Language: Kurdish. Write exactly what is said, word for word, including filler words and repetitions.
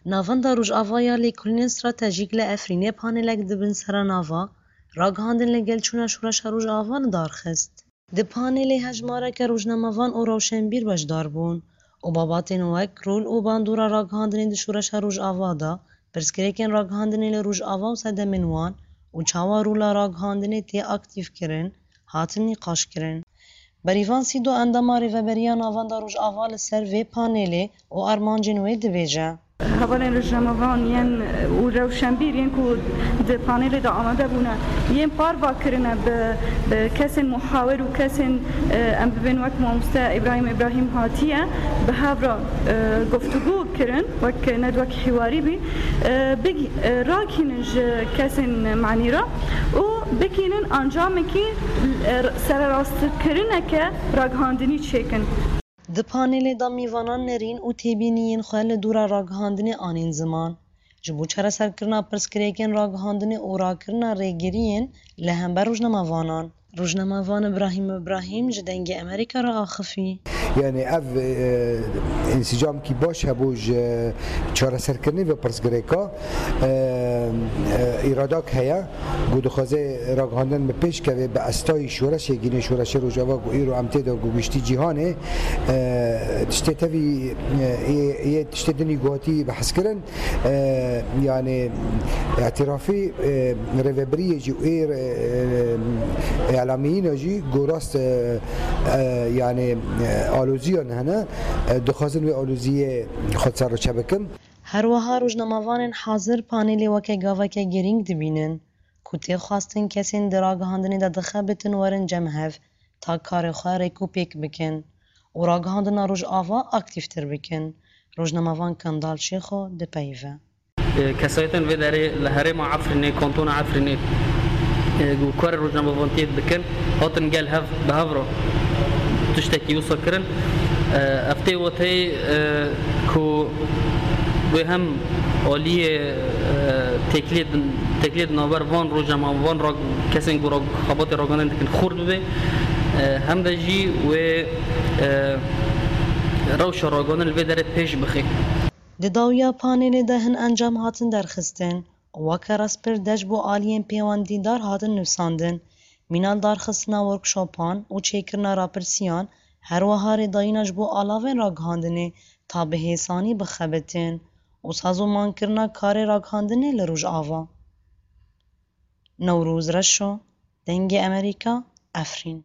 Navenda Rojava ya Lêkolînên Stratejîk li Efrînê panelek di bin seranava Ragihandin li gel çûna Şoreşa Rojava li dar xist. Di panelê hejmareke rojnamevan û rewşenbîr beşdar bûn û babatên wek rol û bandora ragihandinê di Şoreşa Rojava de, pirsgirêkên ragihandinê li Rojava û sedemên wan û çawa rola ragihandinê tê aktîfkirin, hatin nîqaşkirin. Berîvan Sîdo, endama Rêveberiya Navenda Rojava, li ser vê panelê û armancên wê dibêje. Hevalên rojnamevan yên û rewşenbîr yên ku di panelê de amade bûne, yên parva kirine bi, bi kesên muhawir û kesên, e, em bibên wek mamoste Îbrahîm Îbrahîm hatiye bi hev re, e, guftûgû kirin, wek nedwek hiwarî bî, e, big-, e, rakînin ji kesên manî re û bikînin encamekî, e, sererastkirineke ragihandinî çêkin. Di panelê de mîvanan nerîn û têbîniyên xwe li dora ragihandinê anîn ziman. Ji bo çareserkirina pirsgirêkên ragihandinê û rakirina rêgiriyên li hember rojnamevanan, rojnamevan Îbrahîm Îbrahîm ji Dengê Amerîka re axifî. Yani ev, e, însîcamkî baş hebû ji çareserkirinê ve pirsgirêka, e, e, îradak heye. Ku dixwaze ragihandin bi pêş keve, bi estayî şoreşê gîne, şoreşê Rojava ku îro em tê de ku giştî cîhanê, e, tiştê tevî, e, yê, yê tiştê dinî ku hatî behskirin, e, yani îtirafî, e, rêvebiriyê jî û ê, e, îlamiyîna jî ku rast, e, e, yani, e, aloziyan hene, e, dixwazin wê aloziyê xwe serreçe bikin. Her wiha rojnamevanên hazir panelê weke gaveke girîng dibînin. Ku tê xwestin kesên di ragihandinê de dixebitin werin cem hev ta karê xwe rêk û pêk bikin û ragihandina Rojava aktîftir bikin. Rojnamevan Kendal Şêxo dipeyive. E, kesayetên vê derê li herêma Efrînê, kantona Efrînê, e, ku karê rojnamevantiyê dikin, hatin gel hev bi hev re tiştekî wisa kirin. E, ev tê weteyê, e, ku wê hem aliyê, e, têkiliyê di, têkiliyê di navber van rojnamevan, van ra-, kesên ku ra-, xebatê ragihandinê dikin xurt bibe, e, hem de jî wê, e, rewşa ragihandinê li vê derê pêş bixe. Di dawiya panelê de hin encam hatin derxistin û weke rastpêrdeh ji bo aliyên pêwendîdar hatin nivsandin. Mîna li darxistina workshopan û çêkirina rapirsiyan, her wiha rêdayîna ji bo alavên ragihandinê ta bi hêsanî bixebitin û sazûmankirina karê ragihandinê li Rojava. Newroz Reşo, Dengê Amerîka, Efrîn.